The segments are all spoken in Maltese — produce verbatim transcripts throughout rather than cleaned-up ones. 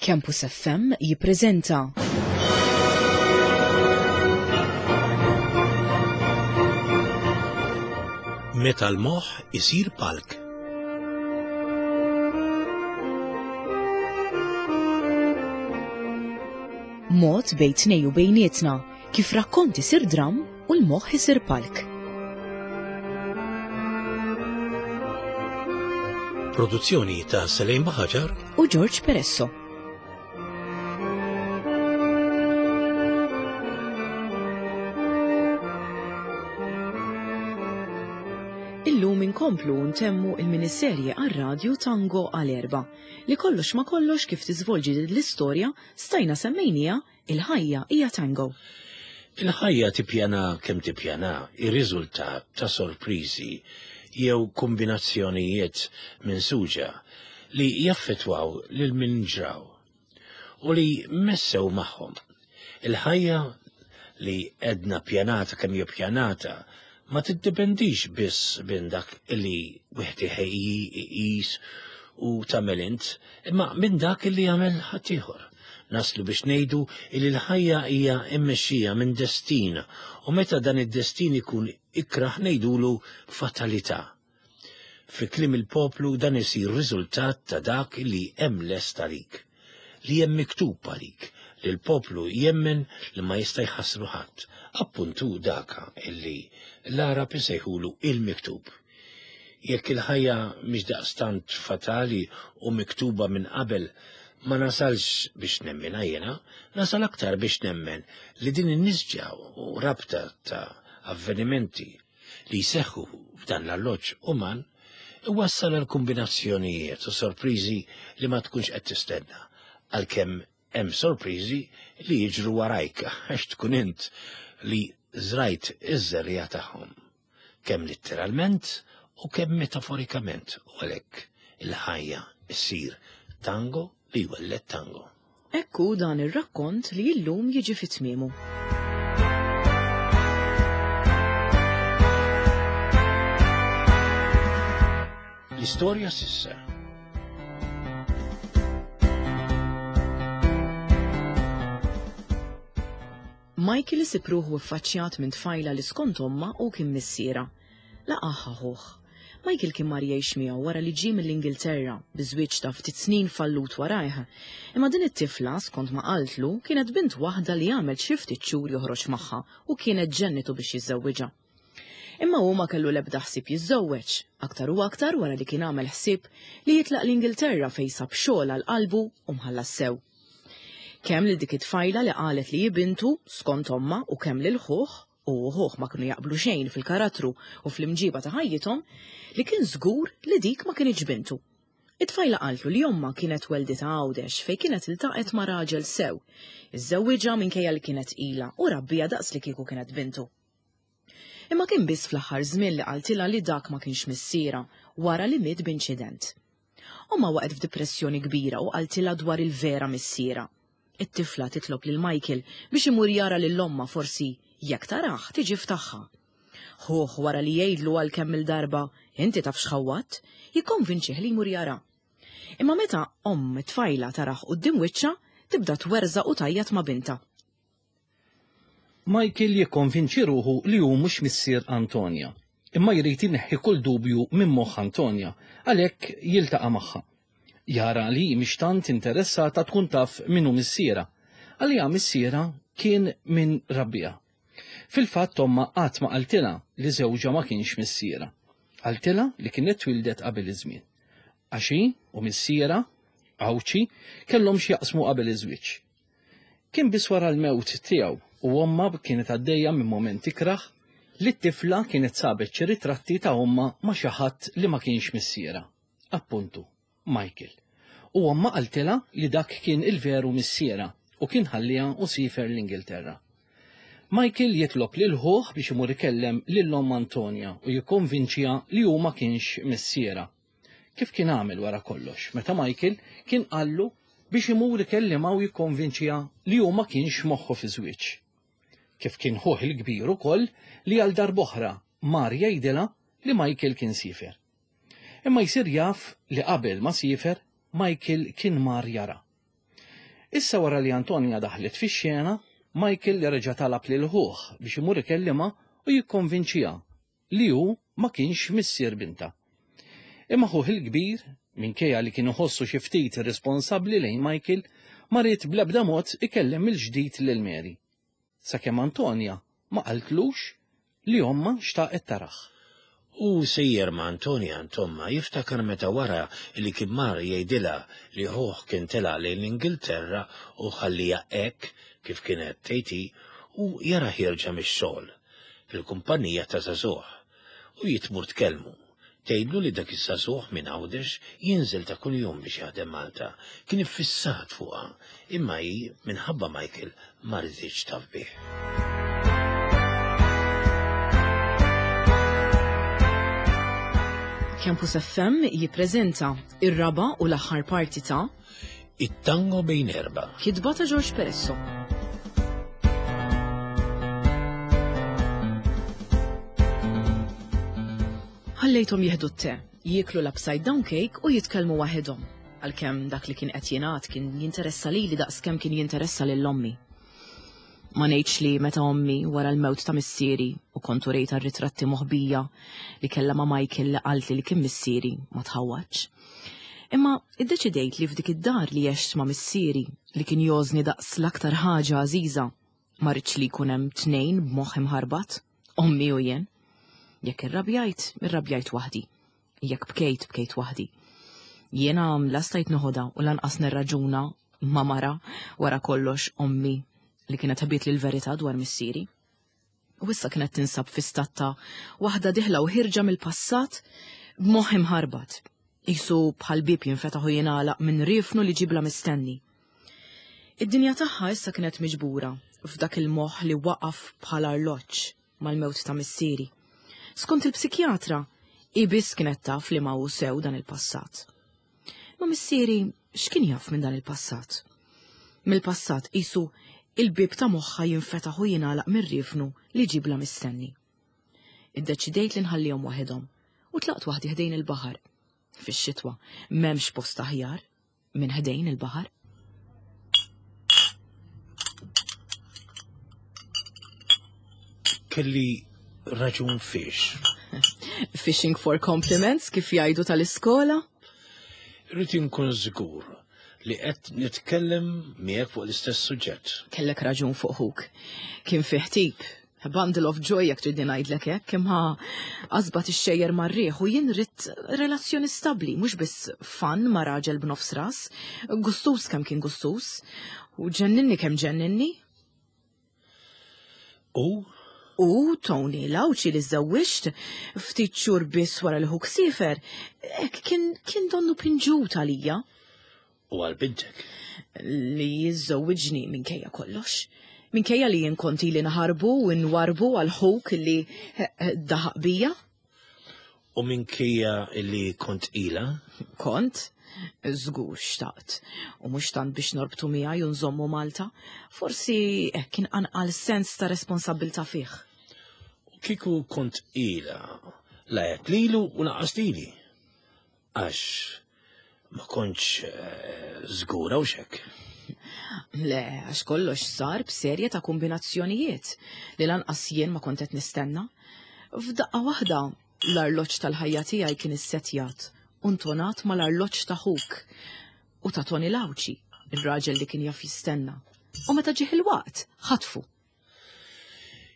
Campus F M jippreżenta Meta l-moħħ isir palk. Mod bejn tnejn u bejnietna kif rakkont isir dram u l-moħħ isir palk. Produzzjoni ta' Selejn Baħaġar u George Peresso. Illum inkomplu ntemmu il-miniserje għar-radju Tango għal erba' li kollox ma kollox kif tiżvolġi l-istorja stajna semmejnija Il-ħajja hija tango. Il-ħajja, tippjana kemm tippjana, ir-riżultat ta' sorpriżi jew kombinazzjonijiet minsuġa li jaffetwaw lil min ġraw u li messew magħhom. Il-ħajja li edna pjanata kemm hija pjanata ma tiddependix biss minn dak li wieħed iħejji, iqis u tagħmel int, imma minn dak li jagħmel ħaddieħor. Naslu biex ngħidu li l-ħajja hija mmexxija minn destin u meta dan id-destin ikun ikraħ ngħidulu fatalità. Fi kliem il-poplu dan isir riżultat ta' dak li hemm lest għalik, li hemm miktub għalik, li l-poplu jemmen li ma jista' jħassru ħadd, appuntu daka illi l-Arab isejħulu il-miktub. Jekk il-ħajja mhix daqstant fatali u miktuba minn qabel, ma nasalx biex nemmen jiena, nasal aktar biex nemmen li din in-nisġa u rabta ta' avvenimenti li jseħħu f'dan l-alloġġ uman iwassal għal kombinazzjonijiet u sorpriżi li ma tkunx qed tistenna, għalkemm hemm sorpriżi li jiġru warajk għax tkun int li żrajt iż-żerriegħa tagħhom, kemm letteralment u kemm metaforikament, u għalhekk il-ħajja issir tango li jwelled tango. Ekku dan ir-rakkont li illum jiġi fi tmiemu. L-istorja s'issa. Michael isib ruħu ffaċċjat minn tfajla li skont omma u kien missiera. Laqaħħa ħuħ. Michael kien mar jgħix miegħu wara li ġie mill-Ingilterra bi żwieġ ta' ftit snin fallut warajh. Imma din it-tifla, skont ma qaltlu, kienet bint waħda li għamel xi ftit xhur joħroġ magħha u kienet ġennitu biex jiżżewwiġha. Imma hu ma kellu l-ebda ħsieb jiżżewweġ, aktar u aktar wara li kien għamel ħsieb li jitlaq l-Ingilterra fejn sab xogħol għal qalbu u mħallas sew. Kemm lil dik it-tfajla li qalet li hi bintu skont omma u kemm lil ħuh, u ħuh ma kienu jaqblu xejn fil-karattru u fl-imġiba ta' ħajjithom, li kien żgur li dik ma kienx bintu. It-tfajla qaltlu li omma kienet welditha Għawdex fejn kienet iltaqet ma' raġel sew. Iżżewwiġha minkejja li kienet tqila u rabbija daqs li kieku kienet bintu. Imma kien biss fl-aħħar żmien li qaltilha li dak ma kienx missiera wara li miet b'inċident. Omma waqgħet f'depressjoni kbira u qaltilha dwar il-vera missiera. It-tifla titlob lil Michael biex imur jara lil omma, forsi jekk taraħ tiġi f'tagħha. Ħuh, wara li jgħidlu għal kemm il-darba inti taf x'ħawwatt, jikkonvinċih li jmur jara. Imma meta omm it-tfajla taraħ quddiem wiċċha, tibda twerżaq u tgħajjat ma' binta. Michael jikkonvinċi ruħu li hu mhux missier Antonia, imma jrid ineħħi kull dubju minn moħħ Antonia, għalhekk jiltaqa' magħha. Jara li mhix tant interessata tkun taf min hu missiera. Għalija missiera kien min rabbieha. Fil-fatt omma qatt ma qaltilha li żewġha ma kienx missiera. Qaltilha li kienet twildet qabel iż-żmien. Għax hi u missiera, Għawdxi, kellhom x'jaqsmu qabel iż-żwieġ. Kien biss wara l-mewt tiegħu u omma kienet għaddejja minn moment ikraħ li t-tifla kienet sabet xi ritratti ta' omma ma' xi ħadd li ma kienx missiera. Appuntu, Michael. U omma qaltilha li dak kien il-veru missiera u kien ħalliha u sifer l-Ingilterra. Michael jitlob lil ħuh biex imur ikellem lil omm Antonia u jikkonvinċiha li hu ma kienx missiera. Kif kien għamel wara kollox, meta Michael kien qallu biex imur ikellimha u jikkonvinċiha li hu ma kienx moħħu fi żwieġ. Kif kien ħuh il-kbir ukoll li għal darb'oħra mar jgħidilha li Michael kien sifer. Imma jsir jaf li qabel ma sifer, Michael kien mar jara. Issa wara li Antonia daħlet fix-xena, Michael reġa' talab lil ħuh biex imur ikellimha u jikkonvinċiha li hu ma kienx missier bintha. Imma ħuh il-kbir, minkejja li kien iħossu xi ftit irresponsabbli lejn Michael, ma ried bl-ebda mod ikellem mill-ġdid lil Mary. Sakemm Antonia ma qaltlux li ommha xtaqet tarah. U sejjer ma' Antonia għand ommha jiftakar meta wara li kien mar jgħidilha li ħuh kien telaq lejn l-Ingilterra u ħalliha hekk kif kienet tgħid hi u jarah jerġa' mix-xogħol fil-kumpanija ta' żagħżugħ u hi tmur tkellmu. Tgħidlu li dak iż-żagħżugħ minn Għawdex jinżel ta' kuljum biex jaħdem Malta. Kien iffissat fuqha, imma hi minħabba Michael ma riditx taf bih. Campus F M jippreżenta ir-raba' u l-aħħar parti ta' It-tango bejn erba'. Kitba ta' George Peresso. Ħallejthom jieħdu t-te, jieklu l-upside down cake u jitkellmu waħedhom. Għalkemm dak li kien qed jingħad kien jinteressa lili daqskemm kien jinteressa lil ommi. Ma ngħidx li meta ommi wara l-mewt ta' missieri u kont urejtha r-ritratti moħbija li kellha ma' Michael li qaltli li kien missieri ma tħawwadx. Imma iddeċidejt li f'dik id-dar li għext ma' missieri li kien jożni daqs l-aktar ħaġa għażiża, ma rridx li jkun hemm tnejn b'moħħ imħarbat, ommi u jien. Jekk irrabjajt, irrabjajt waħdi. Jekk bkejt, bkejt waħdi. Jiena la stajt noħodha u lanqas nirraġuna ma' mara wara kollox ommi li kienet ħabiet li l-verità dwar missieri. U issa kienet tinsab fi stat ta' waħda diħla u ħirġa mill-passat b'moħħ imħarbat. Isu bħal bieb jinfetaħ u jingħalaq minn riefnu li ġibla mistenni. Id-dinja tagħha issa kienet miġbura f'dak il-moħħ li waqaf bħal arloġġ mal-mewt ta' missieri. Skont il-psikjatra, hi biss kienet taf li ma hu sew dan il-passat. Ma missieri x'kien jaf minn dan il-passat? Mill-passat isu il-bieb ta' moħħha jinfetaħ u jingħalaq mir-riefnu li ġibla mistenni. Iddeċidejt li nħallihom waħedhom u tlaqt waħdi ħdejn il-baħar. Fix-xitwa m'hemmx post aħjar minn ħdejn il-baħar. Kelli raġun fiex. Fishing for compliments kif jgħidu tal-iskola? Rrid inkun żgur li qed nitkellem miegħek fuq l-istess suġġett. Kellek raġun fuq ħuk. Kien fih tip, a bundle of joy jekk tridni ngħidlek hekk, imma qasba tixxejjer mar-riħ u jien rrid relazzjoni stabbli, mhux biss fan ma' raġel b'nofs ras, gustus kemm kien gustus, u ġenninni kemm ġenninni. U? U Tony Lawċi li żewwiġt ftit xhur biss wara li ħuk siefer, hekk kien, kien donnu pinġut għalija. U għal bintek? Li jiżżewwiġni minkejja kollox. Minkejja li jien kont ili naħarbu u nwarbu għal ħuk li daħaq bija. U minkejja li kont ila? Kont? Żgur xtaqt. U mhux tant biex norbtu miegħi u nżommu Malta. Forsi hekk kien anqal sens ta' responsabbiltà fih. U kieku kont ila, la għedt lilu u lanqas lili. Għax ma kontx, eh, żgura u xek. Le, għax kollox sar b'serje ta' kombinazzjonijiet li lanqas jien ma kont qed nistenna. F'daqqa waħda l-arloġġ tal-ħajja tiegħi kien issettjat u ntonat mal-arloġġ ta' ħuk u ta' Tony Lawċi, ir-raġel li kien jaf jistenna. U meta ġieħ il-waqt, ħatfu.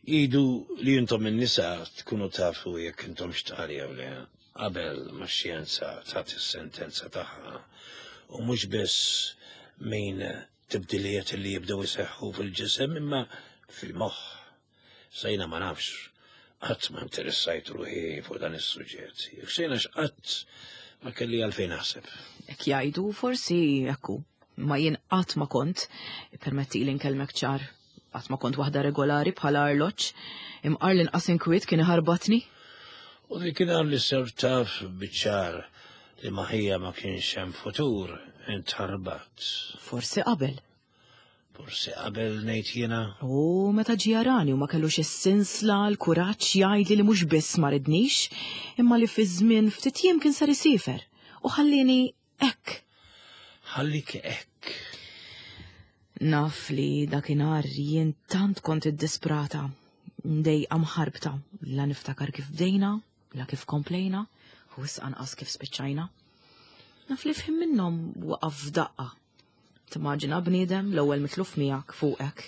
Jgħidu li intom in-nisa tkunu tafu jekk intom xtqal jew le, qabel ma x-xjenza tagħti s-sentenza tagħha. U mhux biss min tibdiliet li jibdew iseħħu fil-ġisem imma fil-moħħ. Sejna ma nafx, qatt ma interessajt ruħi fuq dan is-suġġett. Jekk sejna x'qatt ma kelli għalfejn naħseb. Hekk jgħidu forsi hekk hu, ma jien qatt ma kont, permetti li nkellmek ċar, qatt ma kont waħda regolari bħala arloġġ, imqar l-inqas inkwiet kien iħarbatni. U dik kien li ser taf biċ-ċar li maħija ma kienx hemm futur, intħarbat. Forsi qabel. Forsi qabel ngħid jiena. U meta ġie jarani u ma kellux is-sinsla, l-kuraġġ jgħidli li mhux biss ma ridnix, imma li fi żmien ftit jiem kien sar isiefer u ħallini hekk. Ħallik hekk. Naf li dakinhar jien tant kont iddisprata, mdejqa mħarbta, la niftakar kif bdejna, la kif komplejna, u wisq anqas kif spiċċajna. Naf li f'ħin minnhom waqaf f'daqqa. Timmaġina bniedem l-ewwel mitluf miegħek fuqek,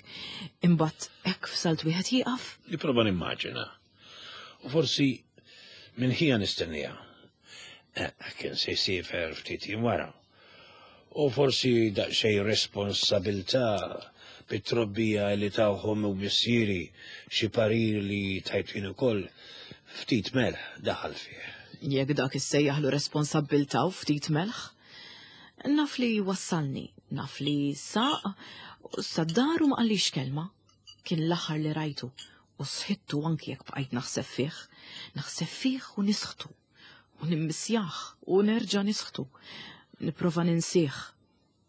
imbagħad hekk f'salt wieħed jieqaf. Nipprova nimmaġina. U forsi minn ħija nistennija. Eh, kien se jsiefer ftit jiem wara. U forsi daqsxejn responsabilità bit-trobbija li tawhom u missieri xi parir li tajt jien ukoll ftit melħ daħal fih. Jekk dak issejjaħlu responsabbiltà u ftit melħ. Naf li wassalni, naf li saq, sad-dar u ma qallix kelma. Kien l-aħħar li rajtu u sħittu anki jekk bqajt naħseb fih. Naħseb fih u nisħtu. U nimmissjah u nerġa' nisħtu. Nipprova ninsih.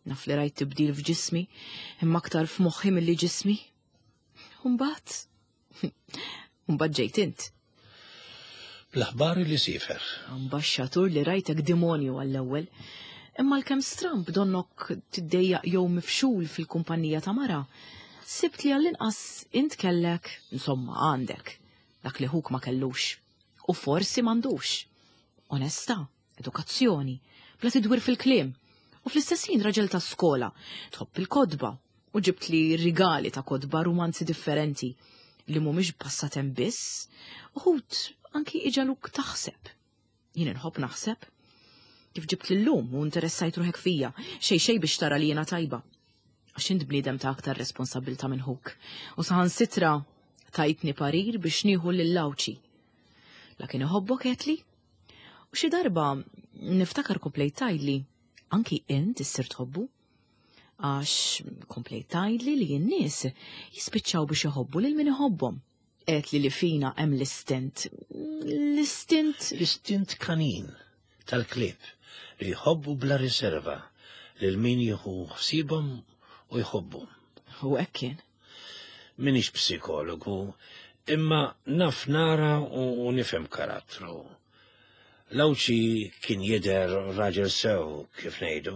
Naf li rajt tibdil f'ġismi, imma aktar f'moħħi milli ġismi. U mbagħad, mbagħad ġejt int. Bl-aħbar li siefer. Ambaxxatur li rajtek demonju għall-ewwel. Imma l-kem stramb donnok tiddejjaq jew mifxul fil-kumpanija ta' mara, sibt li għall-inqas int kellek, insomma għandek, dak li ħuk ma kellux. U forsi m'għandux. Onestà, edukazzjoni, bla tidwir fil-kliem. U fl-istess ħin raġel ta' skola, tħobb il-kotba, u ġibt li rigali ta' kotba rumanzi differenti li mhumiex passatemp biss, uħud anki iġaluk taħseb. Jien inħobb naħseb. Kif ġibt l-lum u interessajt ruħek fija, xej xej biex tara li jiena tajba. Għax int bniedem ta' aktar responsabilta minn ħuk. U saħansitra tajtni parir biex nieħu lil Lawċi. La kien iħobbok għedtli? U xi darba niftakar komplejt tgħidli, anki int issir tħobbu? Għax komplejt tgħidli li n-nies jispiċċaw biex iħobbu lil min iħobbhom. Għedtli li fina hemm l-istint. L-istint. L-istint kanin tal-klieb li jħobbu bla riserva lil min jieħu ħsiebhom u jħobbhom. U hekk kien. Minix psikologu, imma naf nara u nifhem karattru. Lawċi kien jidher raġel sew kif ngħidu.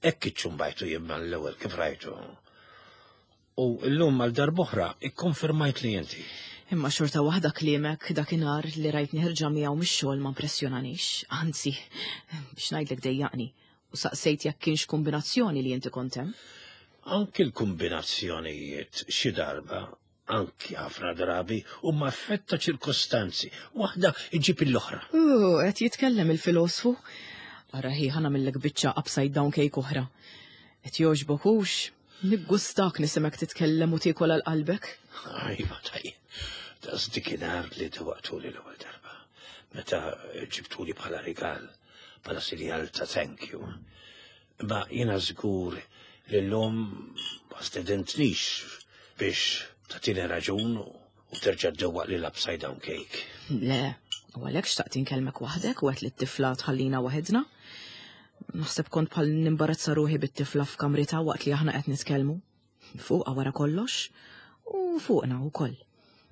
Hekk iċċumbajtu jien mal-ewwel kif rajtu. U llum għal darb'oħra ikkonfermajt li inti. Imma xorta waħda kliemek dakinhar li rajtni ħerġa miegħu mix-xogħol ma impressjonanix, anzi, biex ngħidlek dejjaqni, u saqsejt jekk kienx kombinazzjoni li inti kont hemm. Anki l-kombinazzjonijiet xi darba, anki ħafna drabi, huma effett ta' ċirkostanzi, waħda iġib l-oħra. U qed jitkellem il-filosfu. Ara hi ħa nagħmillek biċċa upside down cake oħra. Qed jogħġbok hux? Niggustak nisimek titkellem u tiekol għal qalbek. Ajma tajjeb. Daqs dikinhar li dewaqtuli l-ewwel darba. Meta ġibtuli bħala rigal, bħala sinjal ta' thank you. Ma jiena żgur li llum ma stedentnix biex tagħtini raġun u terġa' ddewwaq li l-upside down cake. Le, u għalhekk xtaqt inkellmek waħdek u għedt li t-tifla tħallina waħedna. Naħseb kont bħal nimbarazza ruħi bit-tifla f'kamrita waqt li aħna qed nitkellmu. Fuqha wara kollox u fuqna wkoll.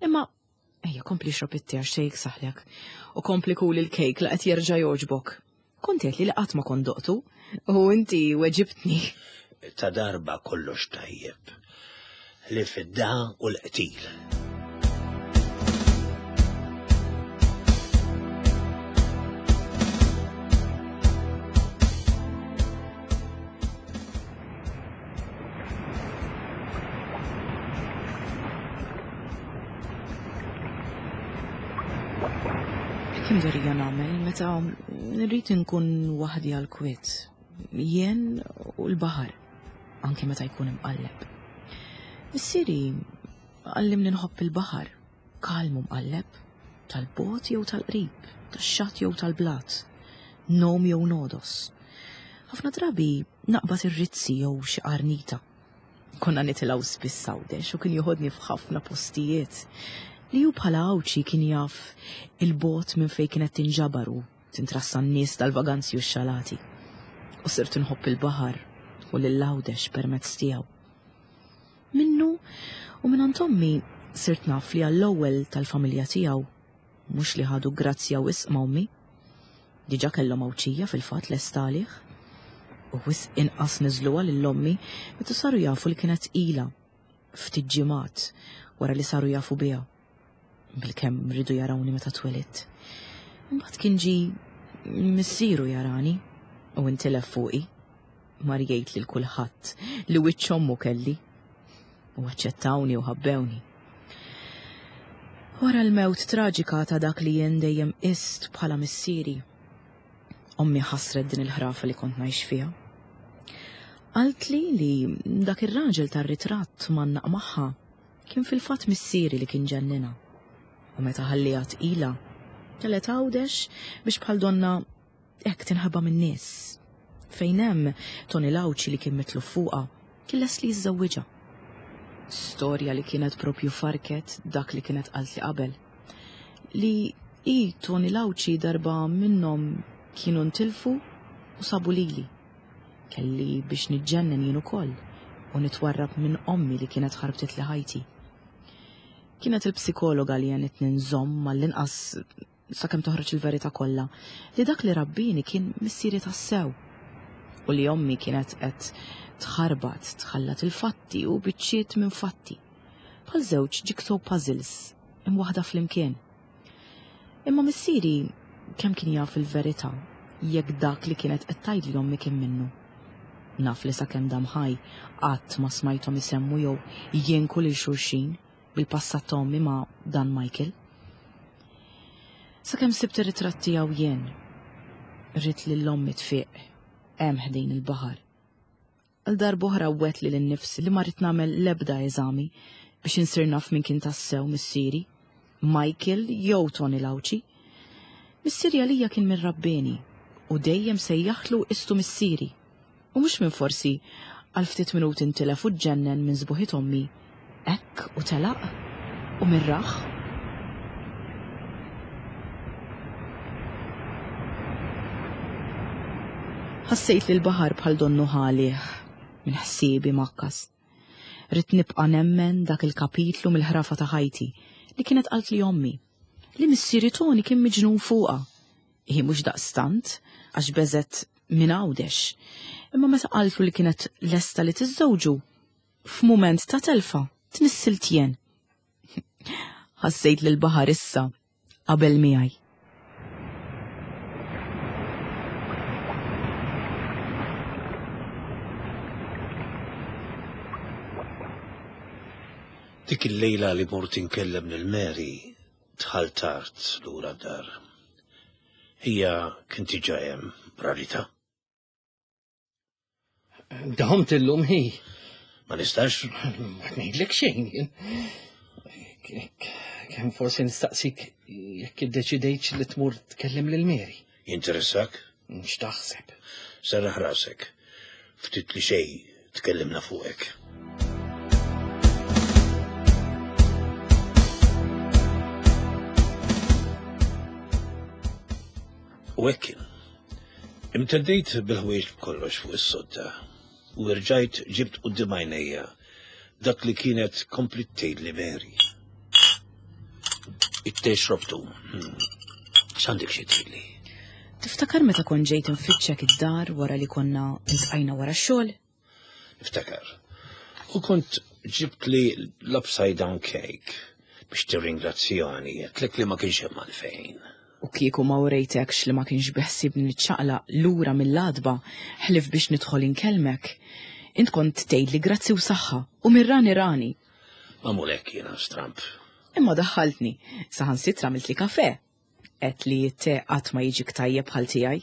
Imma ejja kompli xrob it-te għax xejk saħlek u kompli kul il-kejk la qed jerġa' jogħġbok. Kont qed li li qatt ma kont doqtu u inti weġibtni. Ta' darba kollox tajjeb li fid-da u l-qtil. Kim darija nagħmel meta rrid inkun waħdi għal kwiet, jien u l-baħar, anke meta jkun imqalleb. Missieri għallimni nħobb il-baħar, kalmu mqalleb, tal-bot jew tal-qrib, tax-xatt jew tal-blat, nom jew nodos. Ħafna drabi naqbad ir-rizzi jew xi qarnita. Konna nitilgħu spiss Għawdex u kien joħodni f'ħafna postijiet li hu bħala Għawdxi kien jaf il-bot minn fejn kienet tinġabar u tintrassa n-nies tal-vaganzi u x-xalati. U sirt inħobb il-baħar u lil Għawdex permezz tiegħu. Minnu u minn ommi sirt naf li għall-ewwel tal-familja tiegħu mhux li ħadu grazzja wisq ma' ommi. Diġà kellhom Għawdxija fil-fatt lest għalih. U wisq inqas niżluha lil ommi meta saru jafu li kienet tqila ftit ġimgħat wara li saru jafu biha. Bilkemm riedu jarawni meta twelidt. Imbagħad kien ġie missieru jarani u intilef fuqi. Mar jgħid lil kulħadd li wiċċ ommu kelli. U aċċettawni u ħabbewni. Wara l-mewt traġika ta' dak li jien dejjem qist bħala missieri, ommi ħassret din il-ħrafa li kont ngħix fiha. Qaltli li dak ir-raġel tar-ritratt mgħannaq magħha kien fil-fatt missieri li kien ġennina. U meta ħalliha tqila, telgħet Għawdex biex bħal donna hekk tinħeba min-nies. Fejn hemm Tony Lawċi li kien mitluf fuqha kien lest li jiżżewwiġha. Storja li kienet propju farket dak li kienet qaltli qabel. Li hi Tony Lawċi darba minnhom kienu ntilfu u sabu lili. Kelli biex niġġennen jien ukoll u nitwarrab minn ommi li kienet ħarbtitli ħajti. Kienet il-psikologa li għenitni nżomm mal-inqas sakemm toħroġ il-verità kollha li dak li rabbini kien missieri tassew u li ommi kienet qed tħarbat tħallat il-fatti u biċċiet minn fatti. Bħal żewġ jigsaw puzzles imwaħda flimkien. Imma missieri kemm kien jaf il-verità jekk dak li kienet qed tgħidli ommi kien minnu. Naf li sakemm dam ħaj qatt ma smajthom isemmu jew jinku lil xulxin bil-passat ta' ommi ma' dan Michael. Sakemm sibt ir-ritratt tiegħu jien, ridt lil ommi tfiq hemm ħdejn il-baħar. Għal darb'oħra wegħedt lili nnifsi li ma rrid nagħmel l-ebda eżami biex insir naf min kien tassew missieri, Michael jew Tony Lawċi. Missieri għalija kien min rabbini u dejjem sejjaħtlu istu missieri. U mhux minn forsi għal ftit minuti ntilef u ġġennen minn sbuħit ommi, hekk u telaq u mirraħ. Ħassejt li l-baħar bħal donnu ħalih minn ħsiebi makkas. Ridt nibqa' nemmen dak il-kapitlu mill-ħrafa ta' ħajti li kienet qaltli ommi, li missieri Tony kien miġnun fuqha. Hi mhux daqstant għax beżet minn Għawdex. Imma meta qaltlu li kienet lesta li tiżżewġu, f'mument ta' telfa tnissilt jien. Ħassejt li l-baħar issa qabel miegħi. Dik il-lejla li mort inkellem lil Mary dħalt tard lura d-dar. Hija kien diġà hemm rarità. Domt illum hi. Ma nistax? Ma ngħidlek xejn jien. Kemm forsi nistaqsik jekk iddeċidejtx li tmur tkellem lil Mary. Jinteressak? X'taħseb? Serraħ rasek. Ftit li xejn tkellimna fuqek. U hekk kien. Imteddejt bil-ħwejġ b'kollox fuq is-sodda u rġajt ġibt quddiem għajnejja dak li kienet komplet tgħidli Mary. It-te xrobtu. Hmm. X'għandek xi tgħidli? Tiftakar meta kont ġejt infittxek id-dar wara li konna iltqajna wara x-xogħol? Niftakar. U kont ġibt li l-upside down cake biex tirringrazzjani, għedtlek li ma kienx hemm għalfejn. U kieku ma urejtekx li ma kienx beħsibni niċċaqlaq lura mill-għatba ħlief biex nidħol inkellmek. Int kont tgħidli grazzi u saħħa u mirrani rani. Magħmul hekk jiena stramp. Imma daħħaltni, saħansitra għamiltli kafè. Għedt li t-te qatt ma jiġik tajjeb bħal tiegħi.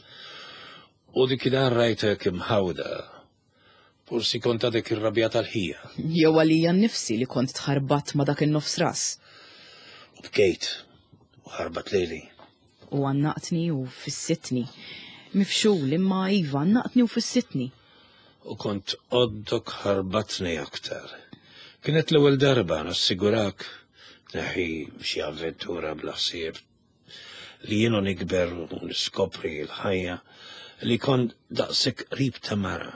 U dik rajtek imħawda. Forsi kont għadek irrabjat għal-ħija. Jew għalija nnifsi li kont tħarbat ma dak in-nofs ras. U bkejt u ħarbat lili. U għannaqtni u fissitni. Mifxul imma iva għannaqtni u fissitni. U kont għoddok ħarbatni aktar. Kienet l-ewwel darba nassigurak neħi xi avventura bla ħsieb li jienu nikber u niskopri l-ħajja li kont daqshekk qrib ta' mara.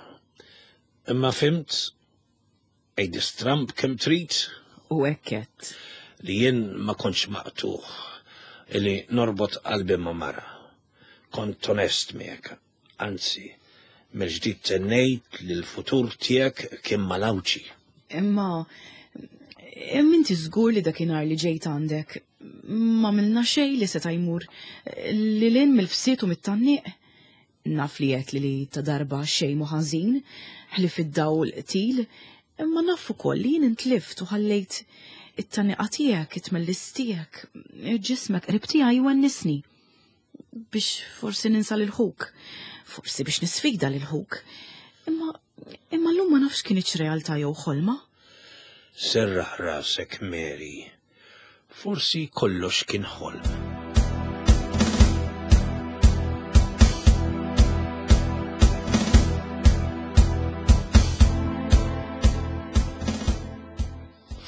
Imma fhimt, għid stramb kemm trid. U hekk għedt. Li jien ma kontx maqtugħ li norbot qalbi ma' mara. Kont onest miegħek, anzi, Mill-ġdid tennejt li l-futur tiegħek kien malawċi. Imma imma inti żgur li dakinhar li ġejt għandek ma milna xejn li seta' jmur lil hinn mill-fsiet u mit-tgħanniq. Naf li għedt li li ta' darba xejn mhu ħażin, ħlief id-dawl qtil, imma naf ukoll li jien intlift u ħallejt it-tgħanniqa tiegħek, it-tmellis tiegħek, ġismek qrib tiegħi jwennisni. Biex forsi ninsa lil ħuk, forsi biex nisfida lil ħuk. Imma imma llum ma nafx kinitx realtà jew ħolma. Serraħ rasek, Mary. Forsi kollox kien ħolm.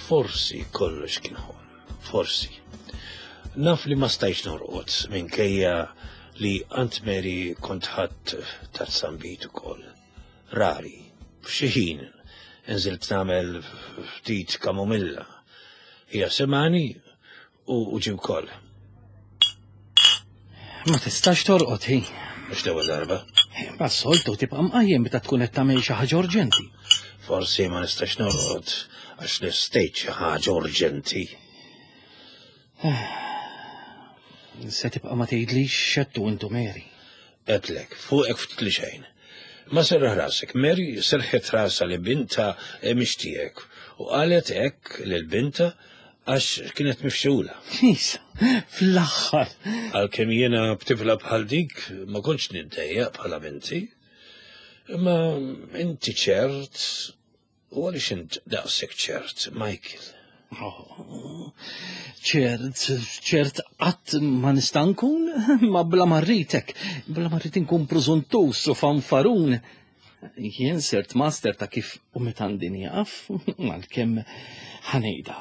Forsi kollox kien ħolm. Forsi. Naf li ma stajtx norqod minkejja li Aunt Mary kont ħadt taż-żambit ukoll. Rari, f'xi ħin nżilt nagħmel ftit kamomilla. Hija semani u u ġie wkoll. Ma tistax torqod hi. Mhux l-ewwel darba. Ma soltu tibqa' mqajjem meta tkun qed tagħmel xi ħaġa urġenti. Forsi ma nistax norqod għax lestejt xi ħaġa urġenti. Se tibqa' ma tgħidlix x'għedtu intu Mary. Għedtlek, fuqek ftit li xejn. Ma serraħ rasek, Mary serħet rasha li binta mhix tiegħek u qalet hekk lil binta għax kienet mifxula. Isa, fl-aħħar. Għalkemm jiena b'tifla bħal dik ma kontx niddejjaq bħala binti. Imma inti ċert, u għaliex int daqshekk ċert, Michael? Oh, ċert, ċert qatt ma nista' nkun, ma bla ma rridek, bla ma rrid inkun preżuntus u fanfarun. Jien sirt master ta' kif u meta għandi nieqaf, għalkemm ħa ngħidha,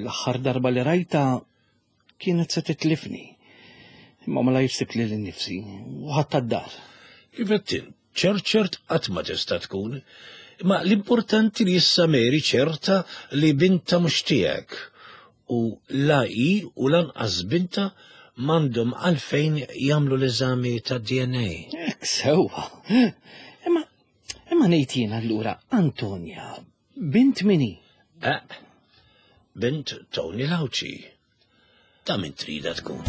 l-aħħar darba li rajta kienet se titlifni. Imma ma la sibt lili nnifsi u ħadtha d-dar. Kif qed int, ċert ċert qatt ma tista' tkun. Ma l-importanti li issa Mary ċerta li binta mhux tiegħek u la hi u lanqas binta m'għandhom għalfejn jagħmlu l-eżami ta' D N A. Hekk sewwa. Imma imma ngħid jien allura, Antonia, bint min hi? Eh, bint Tony Lauci. Ta' min trida tkun.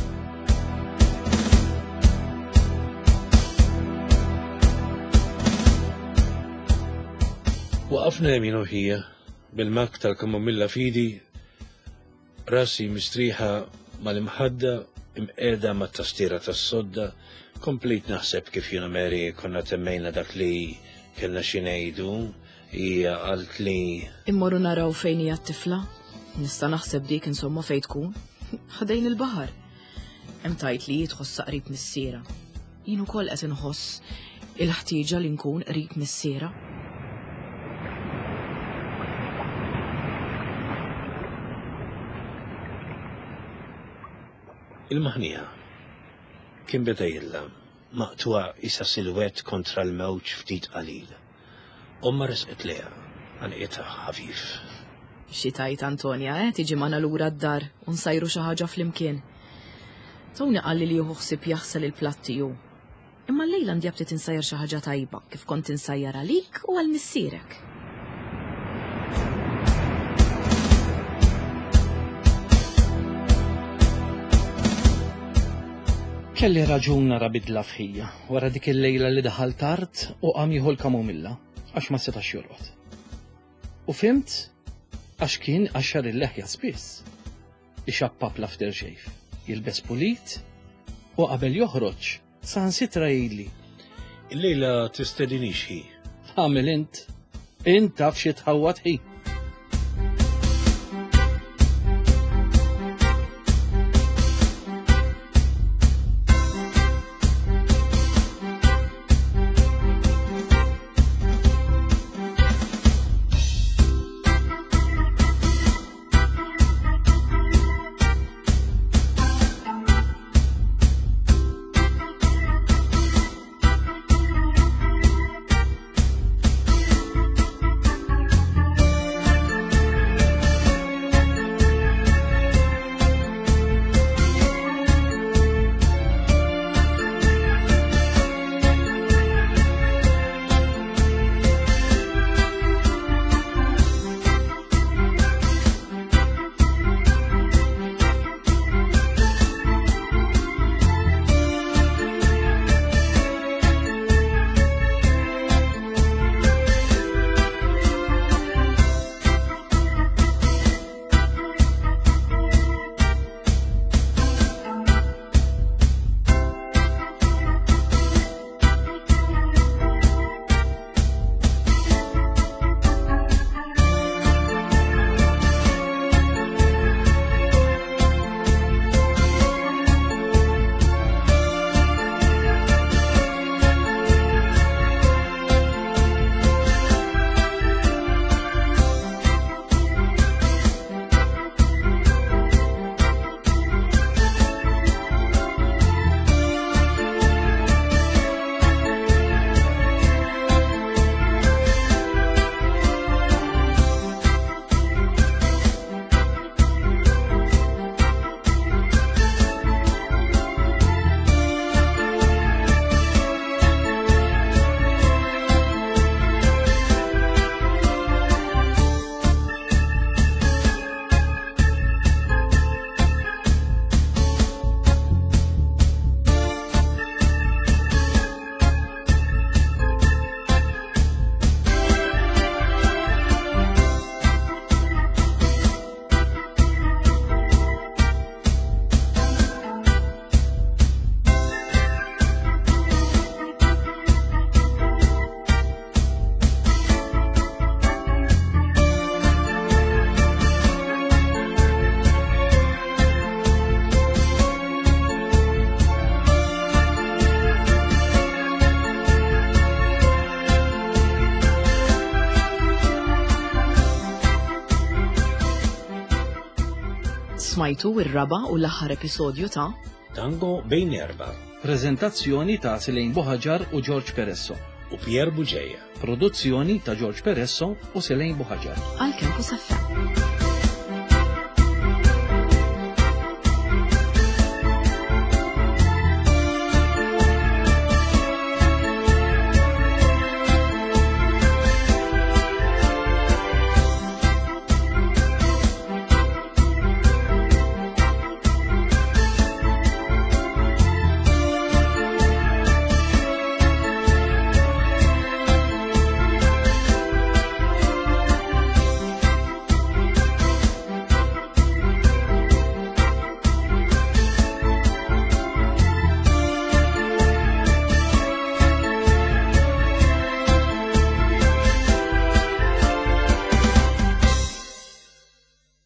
Waqafna jien u ħija bil-mug tal-kamomilla f'idi, rasi mistriħa mal-imħadda, imqiegħda mat-tastiera tas-sodda, komplejt naħseb kif jiena Mary konna temmejna dak li kellna xi ngħidu, hija qalt li Immorru naraw fejn hija t-tifla. Nista' naħseb dik insomma fejn tkun. Ħdejn il-baħar. Hemm tgħid li tħossha qrib missierha. Jien ukoll qed inħoss il-ħtieġa li nkun qrib missierha. Il-maħnija kien beda jidlam, maqtugħa isa silhouette kontra l-mewġ ftit qalil. Omma resqet lejha, għannqitha ħafif. Xi tgħid Antonia, eh, tiġi magħna lura d-dar u nsajru xi ħaġa flimkien. Tony qalli li jieħu ħsieb jaħsel il-platti hu. Imma llejla għandi aptit insajjar xi ħaġa tajba kif kont insajjar għalik u għal missierek. Kelli raġun nara bidla f'ħija wara dik il-lejla li daħal tard u qam jieħu l-kamomilla għax ma setax jorqod. U fhimt għax kien qaxxar il-leħja spiss. Ixappap l-aftershave, jilbes pulit u qabel joħroġ saħansitra jgħidli. Il-lejla tistedinix hi. Għamil int, int taf xi tħawwad ħi. Smajtu ir-raba' u l-aħħar episodju ta' Tango bejn erba' Prezentazzjoni ta' Selene Buhagiar u George Peresso. U Pier Bugeja. Produzzjoni ta' George Peresso u Selene Buhagiar. Għal Campus F M.